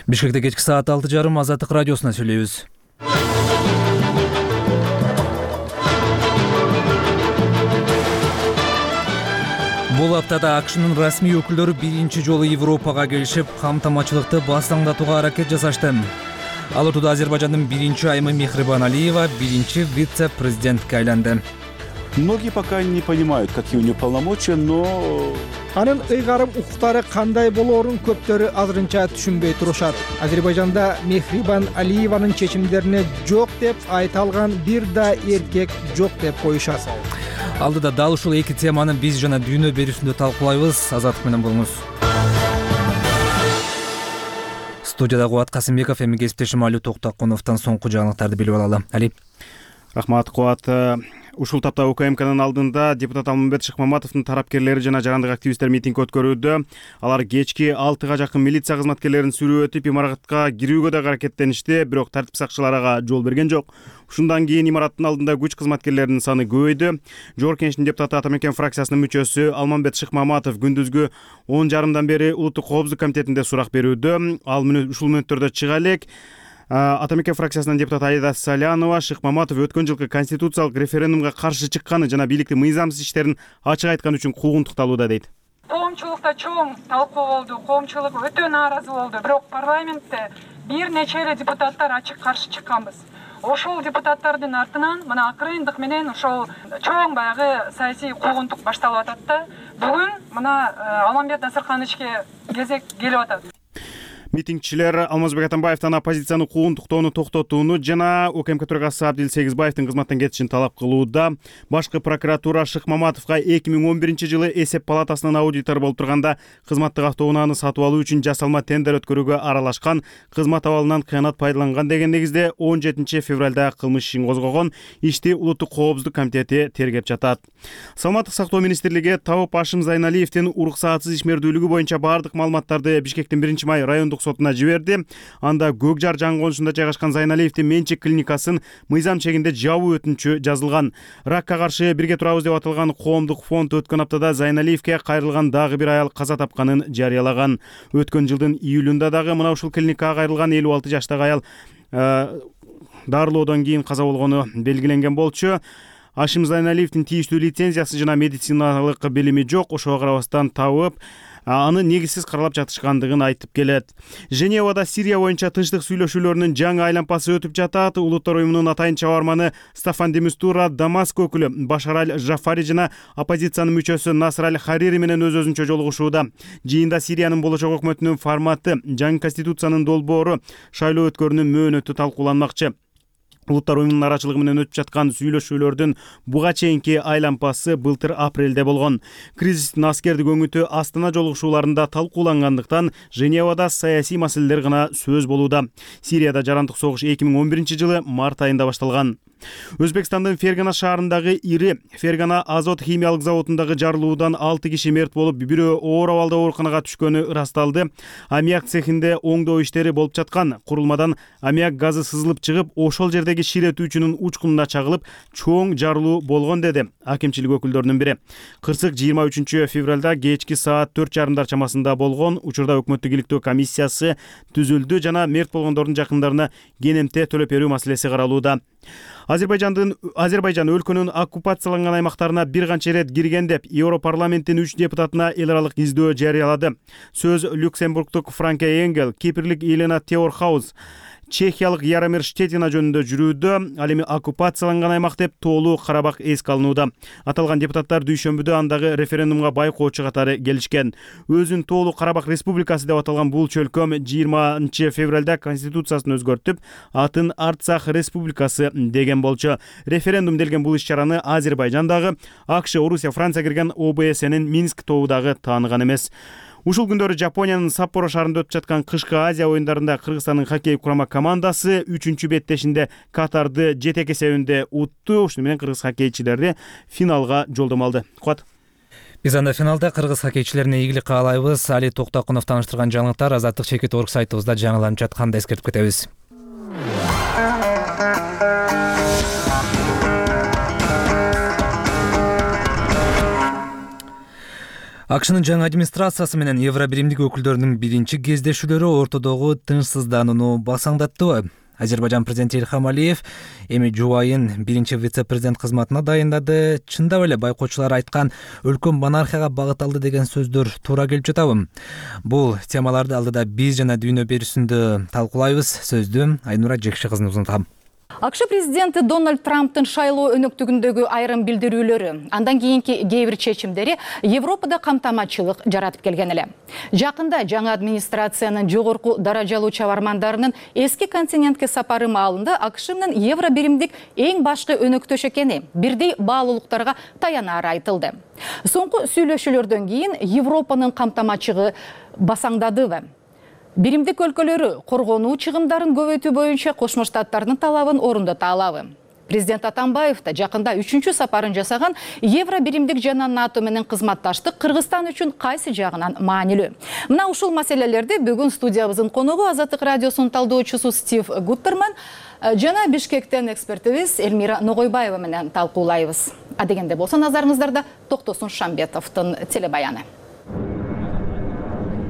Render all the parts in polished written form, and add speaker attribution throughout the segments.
Speaker 1: Бишкекте кечки саат 6:30 Азаттык радиосуна сүйлөйбүз. Бул аптада АКШнын расмий өкүлдөрү биринчи жолу Европага келишип, камтамачылыкты басаңдатууга аракет жасашты. Ал ортодо Азербайжандын биринчи айымы Мехрибан Алиева биринчи вице-президентке айланды.
Speaker 2: Многие пока не понимают, какие у нее полномочия, но
Speaker 3: анын ыйгарым укуктары кандай болоорун көптөрү азырынча түшүнбөй турушат. Азербайжанда Мехрибан Алиеванын чечимдерине жок деп айта алган бир да эркек жок деп коюшат.
Speaker 1: Алдыда дал ушул эки теманы биз жана дүйнө берүүсүндө талкуулайбыз. Азаттык менен болуңуз. Студияда Кубат Касымбеков, эми кесиптешим Али Токтокуновдон соңку жаңылыктарды билип алалы. Али.
Speaker 4: Рахмат, Кубат. Ушул тапта УКМКнын алдында депутат Алмамбет Шыкмаматовдун тарапкерлери жана жарандык активисттер митинг өткөрүүдө. Алар кечки 6-га жакын милиция кызматкерлерин сүрүү өтүп, имаратка кирүүгө да аракеттеништи, бирок тартип сакчылары ага жол берген жок. Ушундан кийин имараттын алдында күч кызматкерлеринин саны көбөйдү. Жогорку Кеңештин депутаты Атамекен фракциясынын мүчөсү Алмамбет Шыкмаматов күндүзгү 10:30 бери Улуттук коопсуздук комитетинде сурак берүүдө. Ал ушул мүнөттөрдө чыга элек. Атамекен фракциясынын депутаты Аида Салянова Шыкмаматов өткөн жылкы конституциялык референдумга каршы чыкканы жана бийликтин мыйзамсыз иштерин ачык айткан үчүн куугунтукталууда дейт.
Speaker 5: Коомчулукта чоң талкуу болду, коомчулук өтө нааразы болду, бирок парламентте бир нече эле депутаттар ачык каршы чыкканбыз. Ошол депутаттардын артынан мына акырындык менен ошол чоң баягы саясий куугунтук башталып атат да. Бүгүн мына Алмамбет Насыркановичке кезек келип атат.
Speaker 4: Митингчилер Алмазбек Атамбаевден оппозицияны куугунтуктоону токтотууну жана УКМК төрагасы Абдил Сегизбаевдин кызматтан кетишин талап кылууда. Башкы прокуратура Шыкмаматовго 2011-жылы эсеп палатасынын аудитору болуп турганда кызматтык автоунааны сатып алуу үчүн жасалма тендер өткөрүүгө аралашкан, кызмат абалынан кыянат пайдаланган деген негизде 17 февралда кылмыш ишин козгогон. Ишти Улуттук коопсуздук комитети тергеп жатат. Саламаттык сактоо министрлиги Табып Ашым Зайналиевдин уруксаатсыз ишмердүүлүгү боюнча баардык маалыматтарды Бишкектин 1-май райондук сотуна жиберди. Анда Көк Жар жаңгоонусунда жайгашкан Зайналиевдин менчик клиникасын мыйзам чегинде жабуу өтүнүчү жазылган. Ракка каршы бирге турабыз деп аталган коомдук фонд өткөн аптада Зайналиевге кайрылган дагы бир аял каза тапканын жарыялаган. Өткөн жылдын июлунда дагы мына ушул клиникага кайрылган 56 жаштагы аял дарылоодон кийин каза болгону белгиленген болчу. Ашим Зайналиевдин тийиштүү лицензиясы жана медициналык билими жок. Ошого карабастан Табып аны негизсиз каралап жатышкандыгын айтып келет. Женевада Сирия боюнча тынчтык сүйлөшүүлөрүнүн жаңы айланпасы өтүп жатат. Улуттар уюмунун атайын чабарманы Стафан де Мистура Дамаск өкүлү Башар аль-Жафари жана оппозициянын мүчөсү Наср аль-Харири менен өз-өзүнчө жолугушууда. Жыйында Сириянын болочок өкмөтүнүн форматы, жаңы конституциянын долбоору, шайлоо өткөрүүнүн мөөнөтү талкууланмакчы. Улуттар уюмунун арачылыгы менен өтүп жаткан сүйлөшүүлөрдүн буга чейинки айланпасы былтыр апрелде болгон. Кризистин аскердик өңүтү Астана жолугушууларында талкуулангандыктан Женевада саясий маселелер гана сөз болууда. Сирияда жарандык согуш 2011-жылы март айында башталган. Өзбекстандын Фергана шаарындагы ири Фергана азот химиялык заводундагы жарылуудан 6 киши мерт болуп, бирөө оор абалда ооруканага түшкөнү ырасталды. Аммиак цехинде оңдоо иштери болуп жаткан. Курулмадан аммиак газы сызылып чыгып, ошол жердеги ширетүүчүнүн учкунуна чагылып, чоң жарылуу болгон деди акимчилик өкүлдөрүнүн бири. Кырсык 23 февралда кечки саат 4:30 чамасында болгон. Учурда өкмөттүк иликтөө комиссиясы түзүлдү жана мерт болгондордун жакындарына кенемте төлөп берүү маселеси каралууда. Азербайжан өлкөнүн оккупацияланган аймактарына бир канча ирет кирген деп Европарламенттин 3 депутатына эл аралык издөө жарыялады. Сөз Люксембургтук Франке Энгел, Кипрлик Елена Теорхаус, Чехиялык Яромир Штетина жөнүндө жүрүүдө. Ал эми оккупацияланган аймак деп тоолуу Карабак эске алынууда. Аталган депутаттар дүйшөмбүдө андагы референдумга байкоочу катары келишкен. Өзүн тоолуу Карабак республикасы деп аталган бул чөлкөм 20 февралда конституциясын өзгөртүп, атын Арцах республикасы деген болчу. Референдум делген бул иш-чараны Азербайжандагы, АКШ, Орусия, Франция кирген ОБСнин Минск тобу дагы тааныган эмес. Ушул күндөрү Жапониянын Саппоро шаарында өтүп жаткан кышкы Азия оюндарында Кыргызстандын хоккей курама командасы 3-чү беттешинде Катарды 7 эсебинде утту. Ушуну менен кыргыз хоккейчилери финалга жолдомо алды. Куат.
Speaker 1: Биз анда финалда кыргыз хоккейчилерине ийгилик каалайбыз. Али Токтокунов таныштырган жаңылыктар Азаттык Чекит.org сайтыбызда жаңыланып жатканда эскертип кетебиз. АКШнын жаңы администрациясы менен Евробиримдик өкүлдөрүнүн биринчи кездешүүлөрү ортодогу тынчсызданууну басаңдаттыбы? Азербайжан президенти Ильхам Алиев эми жубайын биринчи вице-президент кызматына дайындады. Чындап эле байкоочулар айткан өлкө монархияга багыт алды деген сөздөр туура келип жатабы? Бул темаларды алдыда биз жана дүйнө берүүсүндө талкуулайбыз. Сөздү Айнура Жекши кызына узунтам.
Speaker 6: АКШ президенти Дональд Трамптын шайлоо өнөктүгүндөгү айрым билдирүүлөрү, андан кийинки кээ бир чечимдери Европада камтамачылык жаратып келген эле. Жакында жаңы администрациянын жогорку даражалуу чабармандарынын эски континентке сапары маалында АКШ менен Евробиримдик эң башкы өнөктөш экени бирдей баалуулуктарга таянары айтылды. Соңку сүйлөшүүлөрдөн кийин Европанын камтамачыгы басаңдадыбы? Биримдик өлкөлөрү коргонуу чыгымдарын көбөйтүү боюнча Кошмо Штаттардын талабын орундата алабы? Президент Атамбаев да жакында 3-чү сапарын жасаган Евробиримдик жана НАТО менен кызматташтык Кыргызстан үчүн кайсы жагынан маанилүү? Мына ушул маселелерди бүгүн студиябыздын коногу Азаттык радиосунун талдоочусу Стив Гуттерман жана Бишкектен экспертибиз Элмира Ногойбаева менен талкуулайбыз. Адегенде болсо назарыңыздарда Токтосун Шамбетовдун телебаяны.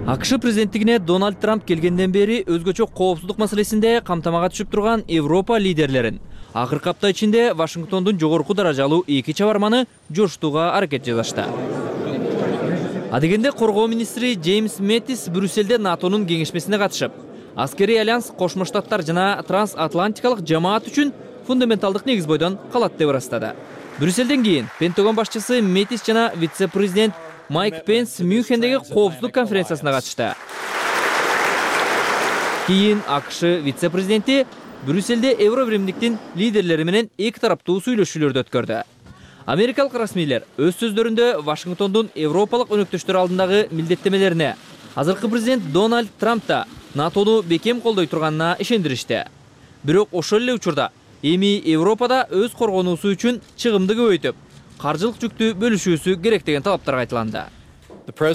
Speaker 7: АКШ президенттигине Дональд Трамп келгенден бери өзгөчө коопсуздук маселесинде камтамага түшүп турган Европа лидерлерин акыркы апта ичинде Вашингтондун жогорку даражалуу эки чабарманы жоштууга аракет жасашты. Адегенде коргоо министри Джеймс Мэттис Брюсселде НАТОнун кеңешмесине катышып, аскерий альянс Кошмо Штаттар жана трансатлантикалык жамаат үчүн фундаменталдык негиз бойдон калат деп ырастады. Брюсселден кийин Пентагон башчысы Мэттис жана вице-президент Майк Пенс Мюнхендеги коопсуздук конференциясына катышты. Кийин АКШ вице-президенти Брюсселде Евробиримдиктин лидерлери менен эки тараптуу сүйлөшүүлөрдү өткөрдү. Америкалык расмийлер өз сөздөрүндө Вашингтондун европалык өнөктөштөр алдындагы милдеттемелерине азыркы президент Дональд Трамп да НАТОну бекем колдой турганына ишендиришти. Бирок ошол эле учурда эми Европада өз коргонуусу үчүн чыгымды көбөйтүп, каржылык жүктү бөлүшүүсү керек деген талаптар айтыланды.
Speaker 8: АКШ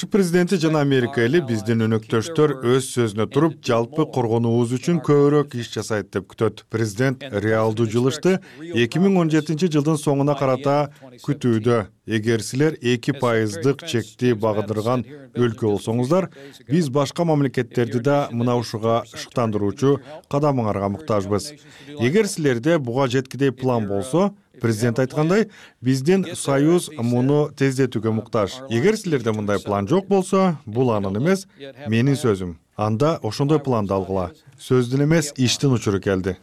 Speaker 8: президенти жана Америка эли биздин өнөктөштөр өз сөзүнө туруп, жалпы коргонуубуз үчүн көбүрөөк иш жасайт деп күтөт. Президент реалдуу жылышты 2017 жылдын соңуна карата күтүүдө. Эгер силер 2% чекти багындырган өлкө болсоңуздар, биз башка мамлекеттерди да мына ушуга шыктандыруучу кадамыңарга муктажбыз. Эгер силерде буга жеткидей план болсо, президент айткандай, биздин союз муну тездетүүгө муктаж. Эгер силерде мындай план жок болсо, бул анын эмес, менин сөзүм. Анда ошондой планды алгыла. Сөздүн эмес, иштин учуру келди.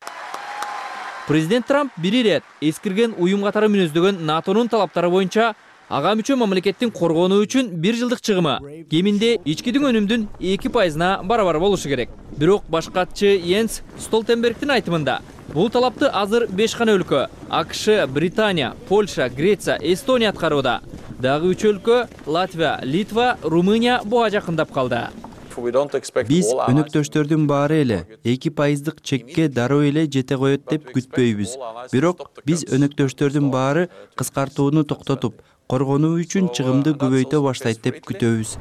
Speaker 7: Президент Трамп бир ирет эскирген уюм катары мүнөздөгөн НАТОнун талаптары боюнча ага мүчө мамлекеттин коргонуу үчүн 1 жылдык чыгымы кеминде ички өнүмдүн 2%-на барабар болушу керек. Бирок баш катчы Йенс Столтенбергдин айтымында бул талапты азыр 5 гана өлкө — АКШ, Британия, Польша, Греция, Эстония аткарууда. Дагы 3 өлкө — Латвия, Литва, Румыния буга жакындап калды.
Speaker 9: Биз өнөктөштөрдүн баары эле 2%дык чекке дароо эле жете коет деп күтпөйбүз. Бирок биз өнөктөштөрдүн баары кыскартууну токтотуп, коргонуу үчүн чыгымды көбөйтө баштайт деп күтөбүз.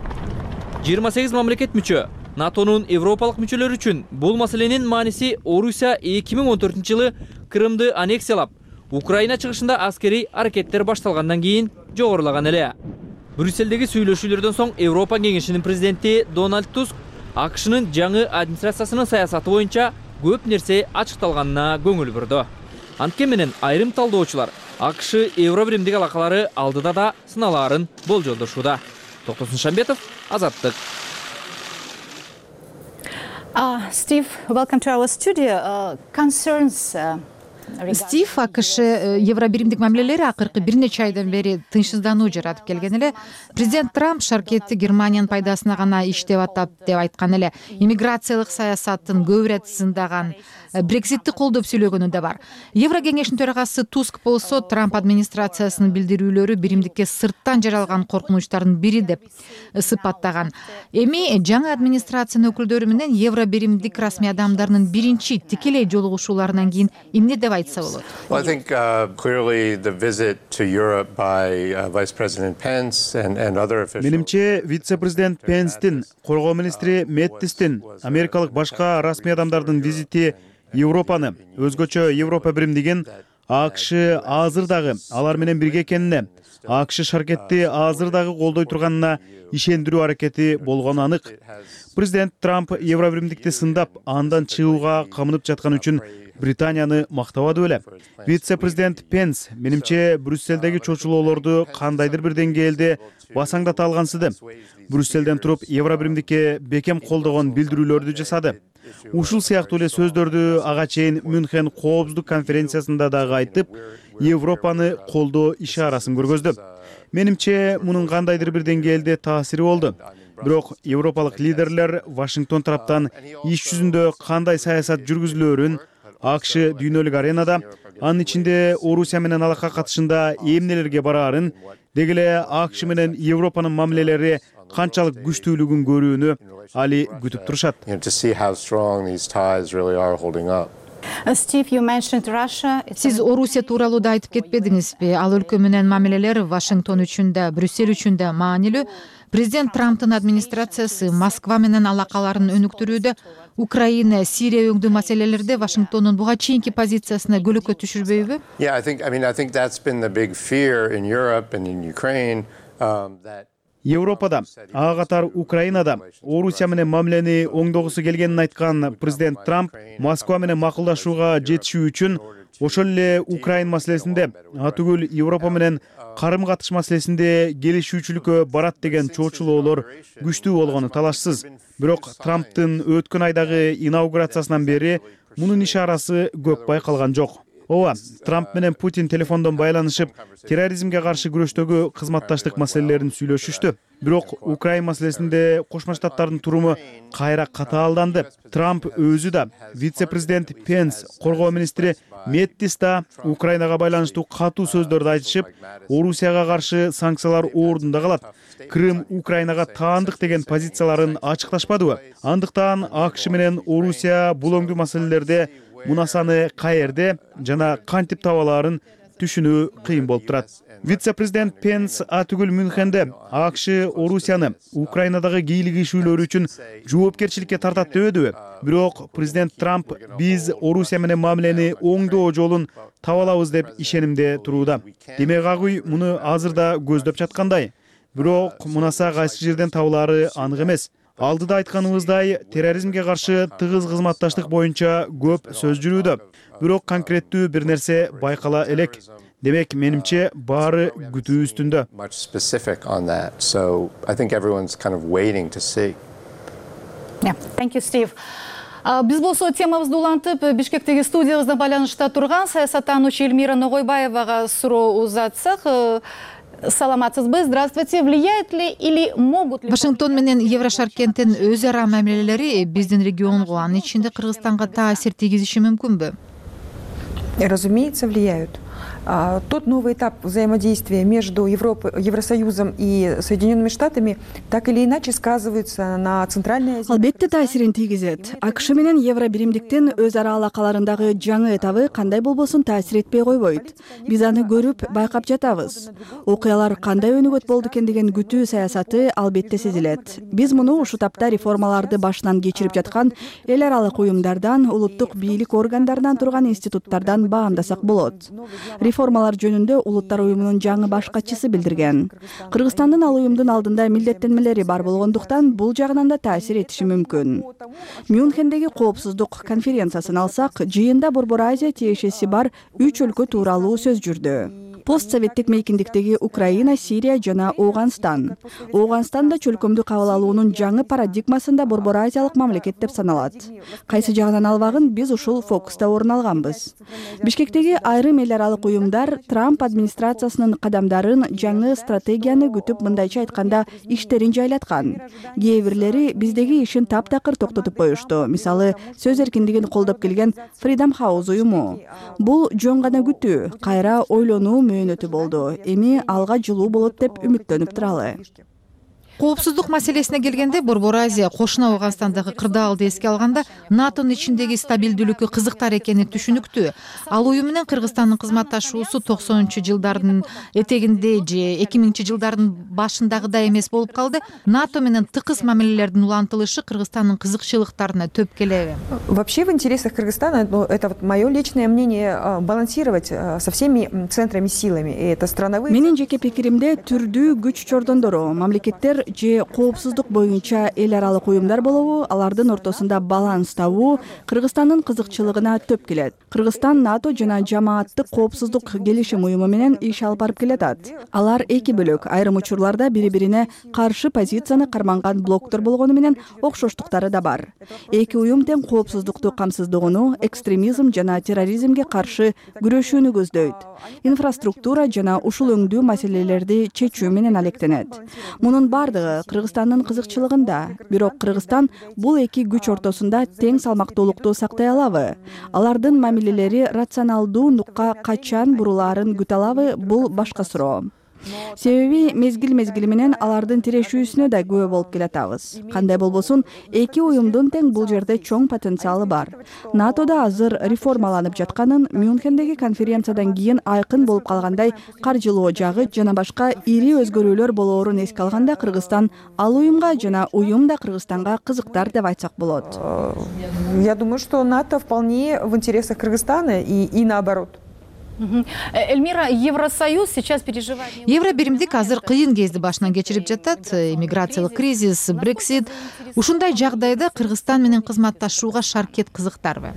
Speaker 7: 28 мамлекет мүчө. НАТОнун европалык мүчөлөр үчүн бул маселенин мааниси Орусия 2014 жылы Крымды аннексиялап, Украина чыгышында аскерий аракеттер башталгандан кийин жогорулаган эле. Брюсселдеги сүйлөшүүлөрдөн соң Европа кеңешинин президенти Дональд Туск АКШнын жаңы администрациясынын саясаты боюнча көп нерсе ачыкталганына көңүл бурду. Анткени менен айрым талдоочулар АКШ Евробиримдик алакалары алдыда да сыналаарын болжолдошууда. Токтосун Шамбетов, Азаттык.
Speaker 6: Steve, welcome to our studio. Concerns
Speaker 10: Стив, АКШ Евробиримдик мамилелери акыркы бир нече айдан бери тынчсыздануу жаратып келген эле. Президент Трамп шаркетти Германиянын пайдасына гана иштеп атат деп айткан эле. Иммиграциялык саясаттын көп ирет сындаган, Брекситти колдоп сүйлөгөнү да бар. Евро кеңешинин төрагасы Туск болсо Трамп администрациясынын билдирүүлөрү биримдикке сырттан жаралган коркунучтардын бири деп сыпаттаган. Эми жаңы администрациянын өкүлдөрү менен Евробиримдик расмий адамдарынын биринчи тикелей жолугушууларынан кийин эмне деп айтса болот?
Speaker 11: Well, I think clearly the visit to Europe by Vice President Pence and other officials.
Speaker 4: Менимче вице-президент Пенстин, коргоо министри Мэттистин, америкалык башка расмий адамдардын визити Европаны, өзгөчө Европа биримдигин АКШ азыр дагы алар менен бирге экенине, АКШ шаркетти азыр дагы колдой турганына ишендирүү аракети болгону анык. Президент Трамп Евробиримдикти сындап, андан чыгууга камынып жаткан үчүн Британияны мактабады беле. Вице-президент Пенс менимче Брюсселдеги чочулоолорду кандайдыр бир деңгээлде басаңдата алгансыды. Брюсселден туруп Евробиримдикке бекем колдогон билдирүүлөрдү жасады. Ушул сыяктуу эле сөздөрдү ага чейин Мюнхен коопсуздук конференциясында дагы айтып, Европаны колдоо ишарасын көргөздү. Менимче мунун кандайдыр бир деңгээлде таасири болду. Бирок европалык лидерлер Вашингтон тараптан иш жүзүндө кандай саясат жүргүзүлөөрүн, АКШ дүйнөлүк аренада, анын ичинде Орусия менен алакка катышында эмнелерге бараарын, деги эле АКШ менен Европанын мамилелери канчалык күчтүүлүгүн көрүүнү али күтүп турушат.
Speaker 10: Сиз Орусия тууралуу да айтып кетпедиңизби? Ал өлкө менен мамилелер Вашингтон үчүн да, Брюссель үчүн да маанилүү. Президент Трамптын администрациясы Москва менен алакаларын өнүктүрүүдө, Украина, Сирия өңдүү маселелерде Вашингтондун буга чейинки позициясына көлөкө түшүрбөйбү?
Speaker 4: Европада, ага катар Украинада Орусия менен мамилени оңдогусу келгенин айткан президент Трамп Москва менен макулдашууга жетишүү үчүн ошол эле Украин маселесинде, атүгүл Европа менен карым-катыш маселесинде келишүүчүлүккө барат деген чоочулоолор күчтүү болгону талашсыз. Бирок Трамптын өткөн айдагы инаугурациясынан бери мунун ишарасы көп байкалган жок. Ооба, Трамп менен Путин телефондон байланышып, терроризмге каршы күрөштөгү кызматташтык маселелерин сүйлөшүштү. Бирок Украин маселесинде Кошмо Штаттардын туруму кайра катаалданды. Трамп өзү да, вице-президент Пенс, коргоо министри Мэттис да Украинага байланыштуу катуу сөздөрдү айтышып, Орусияга каршы санкциялар ордунда калат. Крым Украинага таандык деген позицияларын ачыкташпадыбы? Андыктан АКШ менен Орусия бул өңдүү маселелерде мунасаны каерде жана кантип табалаарын түшүнүү кыйын болуп турат. Вице-президент Пенс атүгүл Мюнхенде АКШ Орусияны Украинадагы кийлигишүүлөр үчүн жоопкерчиликке тартат дебедиби? Бирок президент Трамп биз Орусия менен мамилени оңдоо жолун табалабыз деп ишенимде турууда. Демек агуй муну азырда көздөп жаткандай. Бирок мунаса кайсы жерден табылаары анык эмес. Алдыда айтканыбыздай, терроризмге каршы тыгыз кызматташтык боюнча көп сөз жүрүүдө. Бирок конкреттүү бир нерсе байкала элек. Демек, менимче баары күтүү үстүндө.
Speaker 6: Биз болсо темабызды улантып, Бишкектеги студиябызда байланышта турган саясаттануучу Эльмира Ногойбаевага суроо узатсак, саламатсызбы? Здравствуйте. Влияет ли или могут ли...
Speaker 10: Вашингтон менен Еврошаркенттин өз ара мамилелери биздин регионго, анын ичинде Кыргызстанга таасир тийгизиши мүмкүнбү?
Speaker 12: Разумеется, влияют. Тот новый этап взаимодействия между Евросоюзом и Соединенными Штатами так или иначе сказывается на Центральной Азии.
Speaker 13: Албетте таасирин тийгизет. АКШ менен Евробиримдиктин өз ара алакаларындагы жаңы этабы кандай болбосун таасир этпей койбойт. Биз аны көрүп, байкап жатабыз. Окуялар кандай өнүгөт болду экен деген күтүү саясаты албетте сезилет. Биз муну ушул тапта реформаларды башынан кечирип жаткан эл аралык уюмдардан, улуттук бийлик органдарынан турган институттардан баамдасак болот. Реформалар жөнүндө Улуттар уюмунун жаңы баш катчысы билдирген. Кыргызстандын ал уюмдун алдында милдеттенмелери бар болгондуктан бул жагынан да таасир этиши мүмкүн. Мюнхендеги коопсуздук конференциясын алсак, жыйында Борбор Азия тиешеси бар 3 өлкө тууралуу сөз жүрдү. Постсоветтик мейкиндиктеги Украина, Сирия жана Ооганстан. Ооганстан да чөлкөмдү кабыл алуунун жаңы парадигмасында Борбор Азиялык мамлекет деп саналат. Кайсы жагынан албагын биз ушул фокуста орун алганбыз. Бишкектеги айрым эл аралык уюмдар Трамп администрациясынын кадамдарын, жаңы стратегияны күтүп, мындайча айтканда, иштерин жайлаткан. Кээ бирлери биздеги ишин таптакыр токтотуп коюшту. Мисалы, сөз эркиндигин колдоп келген Freedom House уюму. Бул жөн гана күтүү, кайра ойлонуу мөөнөтү болду. Эми алга жылуу болот деп үмүттөнүп туралы.
Speaker 10: Коопсуздук маселесине келгенде Борбор Азия кошуна Ауганстандагы кырдаалды эске алганда НАТОнун ичиндеги стабилдүүлүккө кызыктар экени түшүнүктүү. Ал уюм менен Кыргызстандын кызматташуусу 90-жылдардын этегинде же 2000-жылдардын башындагыдай эмес болуп калды. НАТО менен тыкыз мамилелердин улантылышы Кыргызстандын кызыкчылыктарына төп келеби?
Speaker 12: Вообще в интересах Кыргызстана, это вот мое личное мнение, балансировать со всеми центрами силами. И это страновые.
Speaker 13: Менин жеке пикиримде түрдүү күч чордондору, мамлекеттер же коопсуздук боюнча эл аралык уюмдар болобу, алардын ортосунда баланс табуу Кыргызстандын кызыкчылыгына төп келет. Кыргызстан НАТО жана жамааттык коопсуздук келишим уюму менен иш алып барып келатат. Алар эки бөлөк, айрым учурларда бири-бирине каршы позицияны карманган блоктор болгону менен окшоштуктары да бар. Эки уюм тең коопсуздукту камсыздоону, экстремизм жана терроризмге каршы күрөшүүнү көздөйт. Инфраструктура жана ушул өңдүү маселелерди чечүү менен алектенет. Мунун бардыгы Кыргызстандын кызыкчылыгында. Бирок Кыргызстан бул эки күч ортосунда тең салмактуулукту сактай алабы? Алардын мамилелери рационалдуу нукка качан бурулаарын күтө алабы? Бул башка суроо. Себеби мезгил менен алардын тирешүүсүнө да күбө болуп келатабыз. Кандай болбосун, эки уюмдун тең бул жерде чоң потенциалы бар. НАТОда азыр реформаланып жатканын, Мюнхендеги конференциядан кийин айкын болуп калгандай каржылоо жагы жана башка ири өзгөрүүлөр болоорун эске алганда Кыргызстан ал уюмга жана уюм да Кыргызстанга кызыктар деп айтсак болот.
Speaker 12: Я думаю, что НАТО вполне в интересах Кыргызстана и наоборот.
Speaker 6: Эльмира, Евросоюз сейчас переживает...
Speaker 10: Евробиримдик азыр кыйын кезди башынан кечирип жатат. Иммиграциялык кризис, Брексит. Ушундай жагдайда Кыргызстан менен кызматташууга Шаркет кызыктарбы?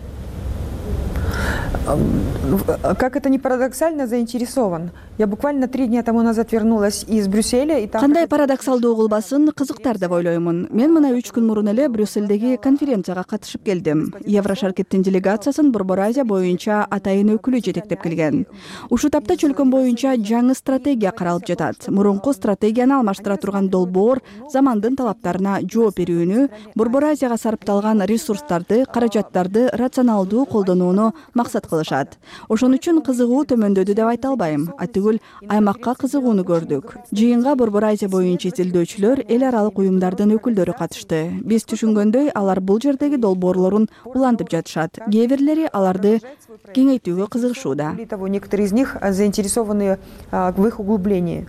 Speaker 12: Как это ни парадоксально, заинтересован. Я буквально 3 дня тому назад вернулась из Брюсселя и там...
Speaker 13: Кандай парадоксалдуу кылбасын, кызыктар деп ойлоймун. Мен мына 3 күн мурун эле Брюссельдеги конференцияга катышып келдим. Еврошаркеттин делегациясын Борбор Азия боюнча атайын өкүлү жетектеп келген. Ушул тапта чөлкөн боюнча жаңы стратегия каралып жатат. Мурунку стратегияны алмаштыра турган долбоор замандын талаптарына жооп берүүнү, Борбор Азияга сарпталган ресурстарды, каражаттарды рационалдуу колдонууну максат кылышат. Ошон үчүн кызыгуу төмөндөдү деп айта албайм. Атүгүл аймакка кызыгууну көрдүк. Жыйынга Борбор Азия боюнча изилдөөчүлөр, эл аралык уюмдардын өкүлдөрү катышты. Биз түшүнгөндөй, алар бул жердеги долбоорлорун улантып жатышат. Кээ бирлери аларды кеңейтүүгө кызыгышууда.
Speaker 12: Некоторые из них заинтересованы в их углублении.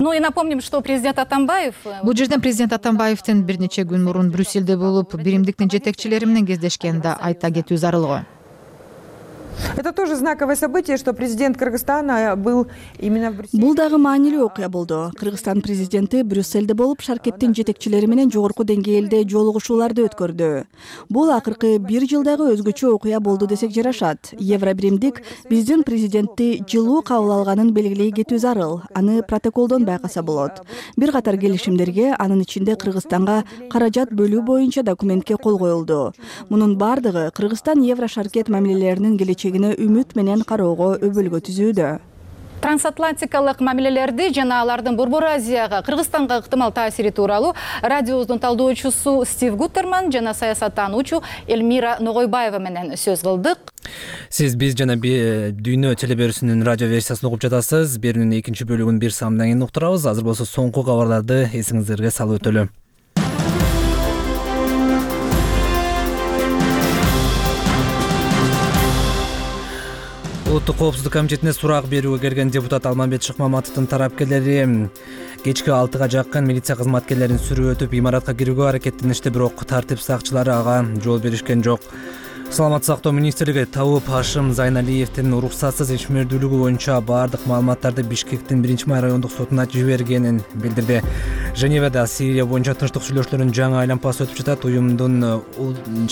Speaker 6: Ну и напомним, что президент Атамбаев...
Speaker 10: Бул жерден президент Атамбаевдин бир нече күн мурун Брюссельде болуп, биримдиктин жетекчилери менен кездешкенин да айта кетүү зарыл.
Speaker 12: Это тоже знаковое событие, что президент Кыргызстана был именно в Брюсселе.
Speaker 13: Бул дагы маанилүү окуя болду. Кыргызстан президенти Брюссельде болуп, Шаркеттин жетекчилери менен жогорку деңгээлде жолугушууларды өткөрдү. Бул акыркы 1 жылдагы өзгөчө окуя болду десек жарашат. Евробиримдик биздин президентти жылуу кабыл алганын белгилей кетүү зарыл. Аны протоколдон байкаса болот. Бир катар келишимдерге, анын ичинде Кыргызстанга каражат бөлүү боюнча документке кол коюлду. Мунун бардыгы Кыргызстан Еврошаркет мамилелеринин келечегине үмүт менен кароого өбөлгө түзүүдө.
Speaker 6: Трансатлантикалык мамилелерди жана алардын Борбор Азияга, Кыргызстанга ыктымал таасири тууралуу радиобуздун талдоочусу Стив Гуттерман жана саясаттануучу Эльмира Ногойбаева менен сөз кылдык.
Speaker 1: Сиз биз жана дүйнө телеберүүсүнүн радио версиясын угуп жатасыз. Берүүнүн экинчи бөлүгүн бир самдан кийин уктурабыз. Азыр болсо соңку кабарларды эсиңиздерге салып өтөлү. Улуттук коопсуздук комитетине сурак берүүгө келген депутат Алмамбет Шыкмаматовдун тарапкерлери кечки 6-га жакын милиция кызматкерлерин сүрүп өтүп имаратка кирүүгө аракеттеништи, бирок тартип сакчылары ага жол беришкен жок. Саламаттык сактоо министрлиги Табып Хашим Зайналиевдин уруксатсыз ишмердүүлүгү боюнча бардык маалыматтарды Бишкектин 1-май райондук сотуна жибергенин билдирди. Женевада Сирия боюнча тынчтык сүйлөшүүлөрүнүн жаңы айланпасы өтүп жатат. Уюмдун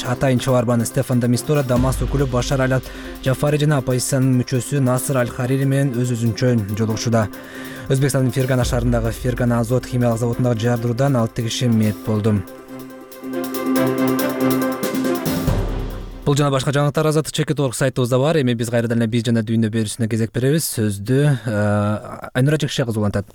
Speaker 1: атайын чабарманы Стефан де Мистура Дамаск өкүлү Башар аль-Джафари жана оппозициянын мүчөсү Насыр аль-Харири менен өз-өзүнчө жолугушууда. Өзбекстандын Фергана шаарындагы Фергана Азот химиялык заводундагы жардыруудан 6 киши мерт болду. Бул жана башка жаңылыктар Азаттык чекит.org сайтыбызда бар. Эми биз кайрадан эле биз жана дүйнө берүүсүнө кезек беребиз. Сөздү Айнура Жекше кызы улантат.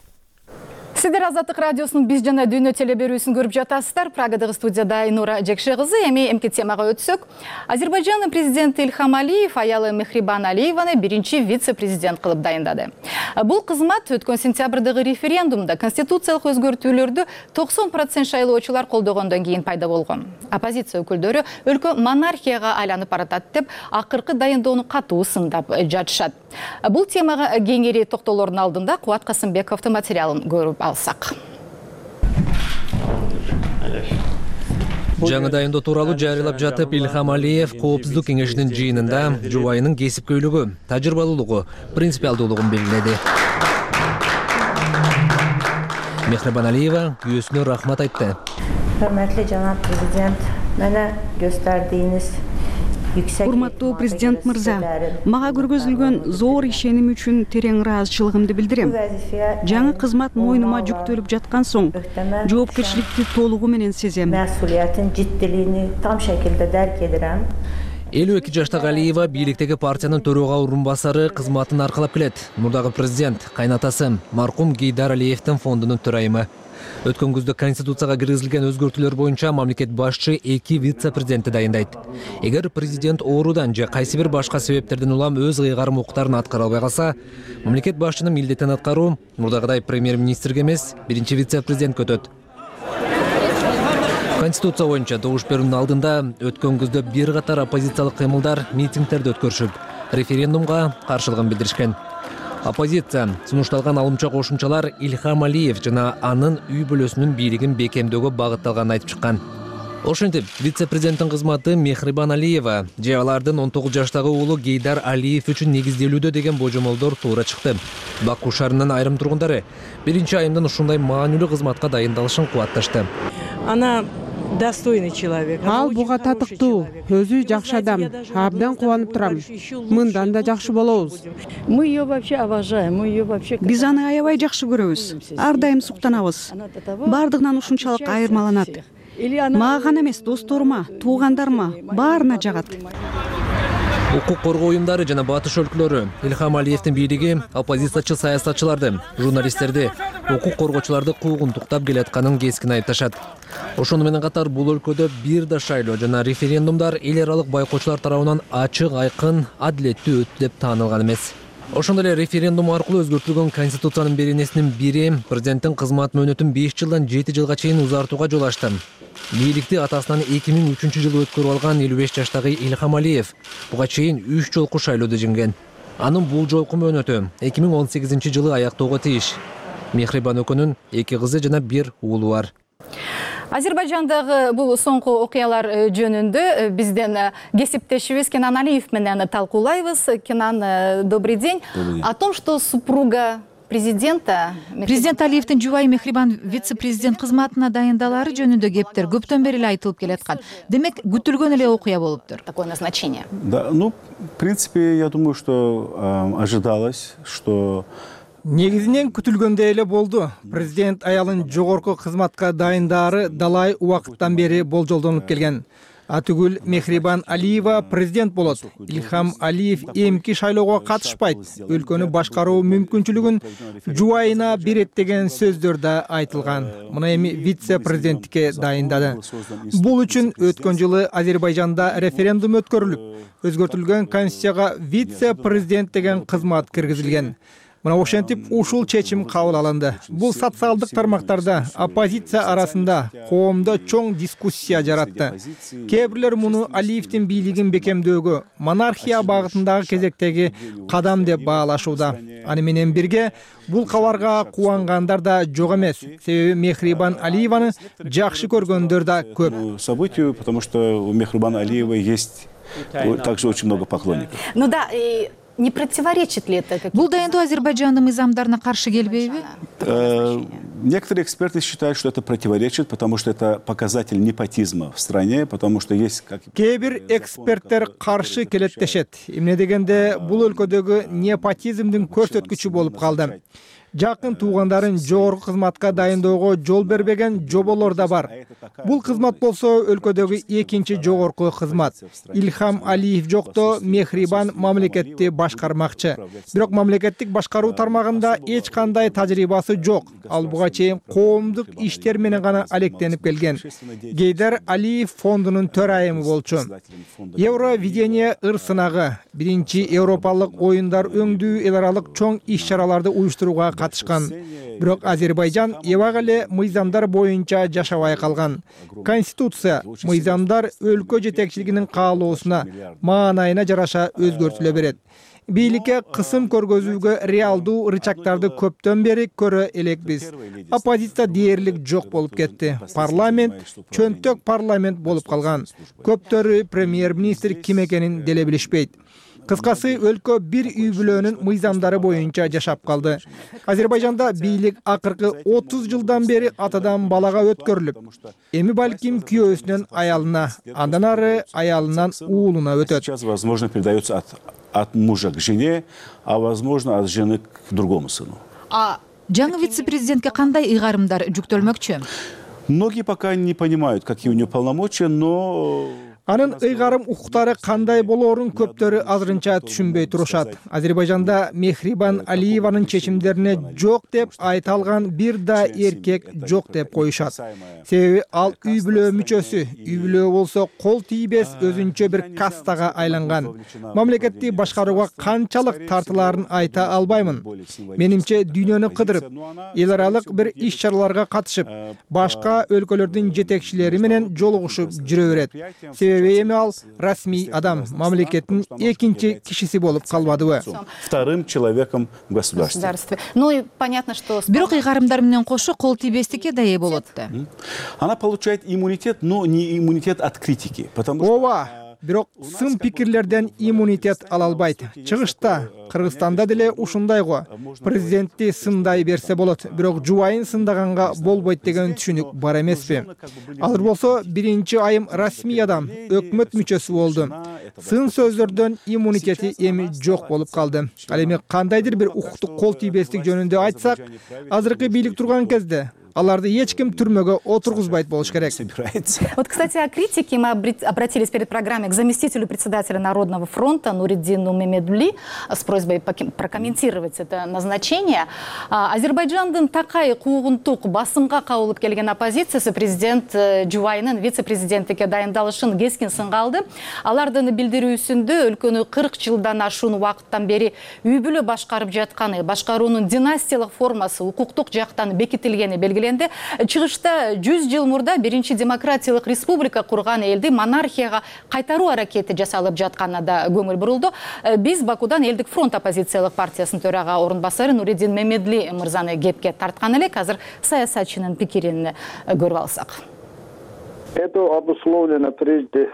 Speaker 6: Сиздер Азаттык радиосунун Биз жана дүйнө телеберүүсүн көрүп жатасыздар. Прагадагы студияда Айнура Жекше кызы. Эми эмки темага өтсөк, Азербайжандын президенти Ильхам Алиев аялы Мехрибан Алиеваны биринчи вице-президент кылып дайындады. Бул кызмат өткөн сентябрдагы референдумда конституциялык өзгөртүүлөрдү 90% шайлоочулар колдогондон кийин пайда болгон. Оппозиция өкүлдөрү өлкө монархияга айланып баратат деп акыркы дайындоону катуу сындап жатышат. Бул темага кеңири токтолоордун алдында Кубат Касымбековдун материалын көрүп алсак.
Speaker 1: Жаңы дайындоо тууралуу жарыялап жатып, Ильхам Алиев Коопсуздук кеңешинин жыйынында жубайынын кесипкөйлүгү, тажрыйбалуулугу, принципиалдуулугун белгиледи. Мехрибан Алиева күйөөсүнө рахмат айтты.
Speaker 14: Hörmətli cənab prezident, mənə göstərdiyiniz
Speaker 15: Урматтуу президент мырза, мага көргөзүлгөн зор ишеним үчүн терең ыраазычылыгымды билдирем. Жаңы кызмат мойнума жүктөлүп жаткан соң, жоопкерчиликти толугу менен сезем.
Speaker 14: Məsuliyyətin ciddiliyini tam şəkildə dərk edirəm.
Speaker 1: 52 жаштагы Алиева бийликтеги партиянын төрага орун басары кызматын аркалап келет. Мурдагы президент кайнатасы маркум Гейдар Алиевдин фондунун төрайымы. Өткөн күздө конституцияга киргизилген өзгөртүүлөр боюнча мамлекет башчы 2 вице-президентти дайындайт. Эгер президент оорудан же кайсы бир башка себептерден улам өз ыйгарым укуктарын аткара албай калса, мамлекет башчынын милдетин аткаруу мурдагыдай премьер-министрге эмес, биринчи вице-президентке өтөт. Конституция боюнча добуш берүүнүн алдында өткөн күздө бир катар оппозициялык кыймылдар митингдерди өткөрүшүп, референдумга каршылыгын билдиришкен. Оппозиция сунушталган алымча кошумчалар Ильхам Алиев жана анын үй бүлөсүнүн бийлигин бекемдөөгө багытталганын айтып чыккан. Ошентип, вице-президенттин кызматы Мехрибан Алиева же алардын 19 жаштагы уулу Гейдар Алиев үчүн негизделүүдө деген божомолдор туура чыкты. Баку шаарынын айрым тургундары биринчи айымдын ушундай маанилүү кызматка дайындалышын кубатташты.
Speaker 16: Она достойный человек.
Speaker 17: Ал буга татыктуу, өзү жакшы адам. Абдан кубанып турам. Мындан да жакшы болобуз.
Speaker 16: Мы ее вообще уважаем, мы ее вообще.
Speaker 15: Биз аны аябай жакшы көрөбүз. Ар дайым суктанабыз. Бардыгынан ушунчалык айырмаланат. Мага гана эмес, досторума, туугандарыма, баарына жагат.
Speaker 1: Укук коргоо уюмдары жана батыш өлкөлөрү Ильхам Алиевдин бийлиги оппозициячы саясатчыларды, журналисттерди, укук коргоочуларды куугунтуктап келатканын кескин айыпташат. Ошону менен катар бул өлкөдө бир да шайлоо жана референдумдар эл аралык байкоочулар тарабынан ачык, айкын, адилеттүү өттү деп таанылган эмес. Ошондой эле референдум аркылуу өзгөртүлгөн конституциянын беренесинин бири президенттин кызмат мөөнөтүн 5 жылдан 7 жылга чейин узартууга жол ачты. Бийликти атасынан 2003-жылы өткөрүп алган 55 жаштагы Ильхам Алиев буга чейин 3 жолку шайлоодо жеңген. Анын бул жолку мөөнөтү 2018-жылы аяктоого тийиш. Мехрибан экөөнүн 2 кызы жана 1 уулу бар.
Speaker 6: Азербайжандагы бул соңку окуялар жөнүндө бизден кесиптешибиз Кенан Алиев менен талкуулайбыз. Кенан, добрый день. О том, что супруга президента
Speaker 10: Президент Алиевдин жубайы Мехрибан вице-президент кызматына дайындалары жөнүндө кептер көптөн бери эле айтылып келаткан. Демек, күтүлгөн эле окуя болуптур.
Speaker 6: Такое назначение.
Speaker 2: Да, в принципе, я думаю, что ожидалось, что
Speaker 3: Негизинен күтүлгөндөй эле болду. Президент аялын жогорку кызматка дайындары далай убакыттан бери болжолдонуп келген. Атүгүл Мехрибан Алиева президент болот. Ильхам Алиев эмки шайлоого катышпайт. Өлкөнү башкаруу мүмкүнчүлүгүн жубайына берет деген сөздөр да айтылган. Мына эми вице-президенттикке дайындады. Бул үчүн өткөн жылы Азербайжанда референдум өткөрүлүп, өзгөртүлгөн конституцияга вице-президент деген кызмат киргизилген. Мына ошентип ушул чечим кабыл алынды. Бул социалдык тармактарда оппозиция арасында коомдо чоң дискуссия жаратты. Кээ бирлер муну Алиевдин бийлигин бекемдөөгө, монархия багытындагы кезектеги кадам деп баалашууда. Аны менен бирге бул кабарга кубангандар да жок эмес. Себеби Мехрибан Алиеваны жакшы көргөндөр да көп.
Speaker 2: Событию, потому что у Мехрибан Алиевой есть также очень много поклонников.
Speaker 6: Ну да, не противоречит ли это?
Speaker 10: Бул дайындоо Азербайжандын мыйзамдарына каршы келбейби?
Speaker 2: Некоторые эксперты считают, что это противоречит, потому что это показатель непотизма в стране, потому что есть...
Speaker 3: Кээ бир эксперттер каршы келет дешет. Эмне дегенде бул өлкөдөгү непотизмдин көрсөткүчү болуп калды. Жакын туугандарын жогорку кызматка дайындоого жол бербеген жоболор да бар. Бул кызмат болсо өлкөдөгү экинчи жогорку кызмат. Ильхам Алиев жокто Мехрибан мамлекетти башкармакчы. Бирок мамлекеттик башкаруу тармагында эч кандай тажрыйбасы жок. Ал буга чейин коомдук иштер менен гана алектенип келген. Гейдар Алиев фондунун төрайымы болчу. Евровидение ыр сынагы, биринчи Европалык оюндар өңдүү эл аралык чоң иш-чараларды уюштурууга катышкан. Бирок Азербайжан эбак эле мыйзамдар боюнча жашабай калган. Конституция мыйзамдар өлкө жетекчилигинин каалоосуна, маанайына жараша өзгөртүлө берет. Бийликке кысым көргөзүүгө реалдуу рычагдарды көптөн бери көрө элекпиз. Оппозиция дээрлик жок болуп кетти. Парламент чөнтөк парламент болуп калган. Көптөрү премьер-министр ким экенин деле билишпейт. Кыскасы, өлкө бир үй бүлөнүн мыйзамдары боюнча жашап калды. Азербайжанда бийлик акыркы 30 жылдан бери атадан балага өткөрүлүп, эми балким күйөөсүнөн аялына, андан ары аялынан уулуна өтөт.
Speaker 2: Сейчас, возможно, передается от мужа к жене, а возможно, от жены к другому сыну.
Speaker 10: Жаңы вице-президентке кандай ыйгарымдар жүктөлмөкчү?
Speaker 2: Многие пока не понимают, какие у нее полномочия, но...
Speaker 3: Анын ыйгарым укуктары кандай болоорун көптөрү азырынча түшүнбөй турушат. Азербайжанда Мехрибан Алиеванын чечимдерине жок деп айта алган бир да эркек жок деп коюшат. Себеби ал үй бүлө мүчөсү. Үй бүлө болсо кол тийбес өзүнчө бир кастага айланган. Мамлекетти башкарууга канчалык тартылаарын айта албаймын. Менимче дүйнөнү кыдырып, эл аралык бир иш-чараларга катышып, башка өлкөлөрдүн жетекчилери менен жолугушуп жүрө берет. Себеби эми ал расмий адам, мамлекеттин экинчи кишиси болуп калбадыбы?
Speaker 2: Вторым человеком в государстве.
Speaker 6: Ну и понятно, что...
Speaker 10: Бирок ыйгарымдар менен кошо кол тийбестикке да ээ болот да.
Speaker 2: Она получает иммунитет, но не иммунитет от критики, потому что...
Speaker 3: Бирок сын пикирлерден иммунитет ала албайт. Чыгышта, Кыргызстанда деле ушундай го. Президентти сындай берсе болот, бирок жубайын сындаганга болбойт деген түшүнүк бар эмеспи? Алар болсо биринчи айым расмий адам, өкмөт мүчөсү болду. Сын сөздөрдөн иммунитети эми жок болуп калды. Ал эми кандайдыр бир укуктук кол тийбестик жөнүндө айтсак, азыркы бийлик турган кезде аларды эч ким түрмөгө отургузбайт болуш керек.
Speaker 6: Вот, кстати, о критике мы обратились перед программой к заместителю председателя Народного фронта Нуриддину Мемедли с просьбой прокомментировать это назначение. Азербайджандын такай куугунтук басымга кабылып келген оппозициясы президент жубайынын вице-президенттикке дайындалышын кескин сынга алды. Алардын билдирүүсүндө өлкөнү 40 жылдан ашуун убакыттан бери үй бүлө башкарып жатканы, башкаруунун династиялык формасы укуктук жактан бекитилгени белгиленди. Чыгышта 100 жыл мурда биринчи демократиялык республика курган элди монархияга кайтаруу аракети жасалып жатканына да көңүл бурулду. Биз Бакудан Элдик фронт оппозициялык партиясынын төрага орун басары Нуриддин Мемедли мырзаны кепке тарткан элек. Азыр саясатчынын пикирин көрүп алсак.
Speaker 18: Это обусловлено прежде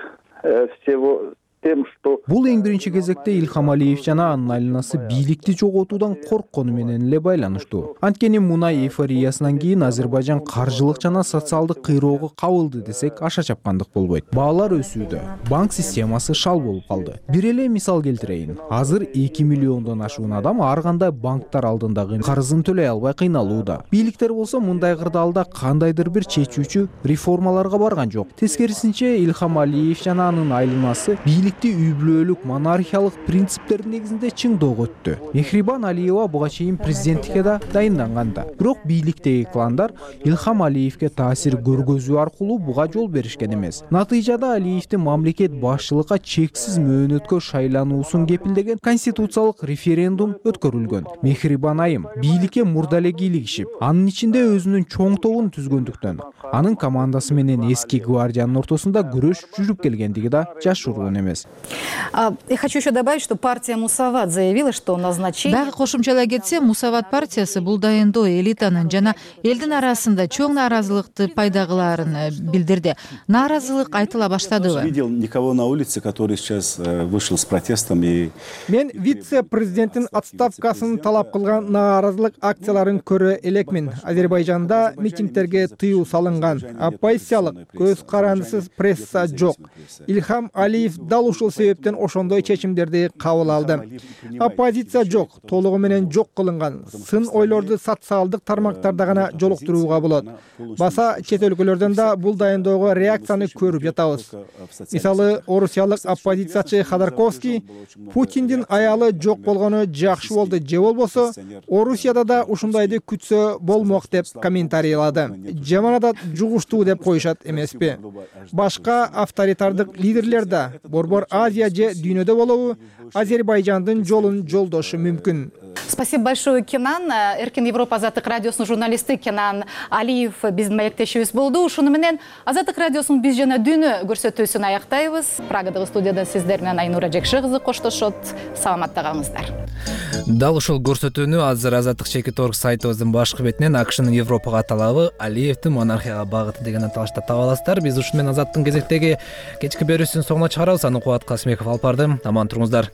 Speaker 18: всего тем, что...
Speaker 19: Бул эң биринчи кезекте Ильхам Алиев жана анын айланасы бийликти жоготуудан корккону менен эле байланыштуу. Анткени мунай эйфориясынан кийин Азербайжан каржылык жана социалдык кыйроого кабылды десек аша чапкандык болбойт. Баалар өсүүдө, банк системасы шал болуп калды. Бир эле мисал келтирейин. Азыр 2 миллиондон ашуун адам ар кандай банктар алдындагы карызын төлөй албай кыйналууда. Бийликтер болсо мындай кырдаалда кандайдыр бир чечүүчү реформаларга барган жок. Тескерисинче Ильхам Алиев жана анын айланасы бийликти үй бүлөлүк монархиялык принциптердин негизинде чыңдоого өттү. Мехрибан Алиева буга чейин президенттикке да дайынданган да. Бирок бийликтеги кландар Ильхам Алиевке таасир көргөзүү аркылуу буга жол беришкен эмес. Натыйжада Алиевдин мамлекет башчылыкка чексиз мөөнөткө шайлануусун кепилдеген конституциялык референдум өткөрүлгөн. Мехрибан айым бийликке мурда эле кийлигишип, анын ичинде өзүнүн чоң тобун түзгөндүктөн, анын командасы менен эски гвардиянын ортосунда күрөш жүрүп келгендиги да жашыруун эмес.
Speaker 6: Я хочу еще добавить, что партия Мусават заявила, что назначение...
Speaker 10: Дагы кошумчалай кетсе, Мусават партиясы бул дайындоо элитанын жана элдин арасында чоң нааразылыкты пайда кылаарын билдирди. Нааразылык айтыла баштадыбы?
Speaker 2: Видел никого на улице, который сейчас вышел с протестом и...
Speaker 3: Мен вице-президенттин отставкасын талап кылган нааразылык акцияларын көрө элекмин. Азербайжанда митингтерге тыюу салынган. Оппозициялык, көз карандысыз пресса жок. Ильхам Алиев дал дал ушул себептен ошондой чечимдерди кабыл алды. Оппозиция жок, толугу менен жок кылынган. Сын ойлорду социалдык тармактарда гана жолуктурууга болот. Баса чет өлкөлөрдөн да бул дайындоого реакцияны көрүп жатабыз. Мисалы, орусиялык оппозициячы Ходорковский Путиндин аялы жок болгону жакшы болду же болбосо Орусияда да ушундайды күтсө болмок деп комментарийлады. Жаманат жугуштуу деп коюшат эмеспи? Башка авторитардык лидерлер да Борбор Азия же дүйнөдө болобу Азербайжандын жолун жолдошу мүмкүн.
Speaker 6: Спасибо большое, Кенан. Эркин Европа Азаттык радиосунун журналисти Кенан Алиев биздин маектешибиз болду. Ушуну менен Азаттык радиосунун биз жана дүйнө көрсөтүүсүн аяктайбыз. Прагадагы студияда сиздер менен Айнура Жекши кызы коштошот. Саламатта калыңыздар.
Speaker 1: Дал ушул көрсөтүүнү азыр Азаттык /org сайтыбыздын башкы бетинен АКШнын Европага талабы Алиевдин монархияга багыты деген аталышта таба аласыздар. Биз ушу менен Азаттыктын кезектеги кечки берүүсүнүн соңуна чыгарабыз. Аны Кубат Касымбеков алып барды. Аман туруңуздар.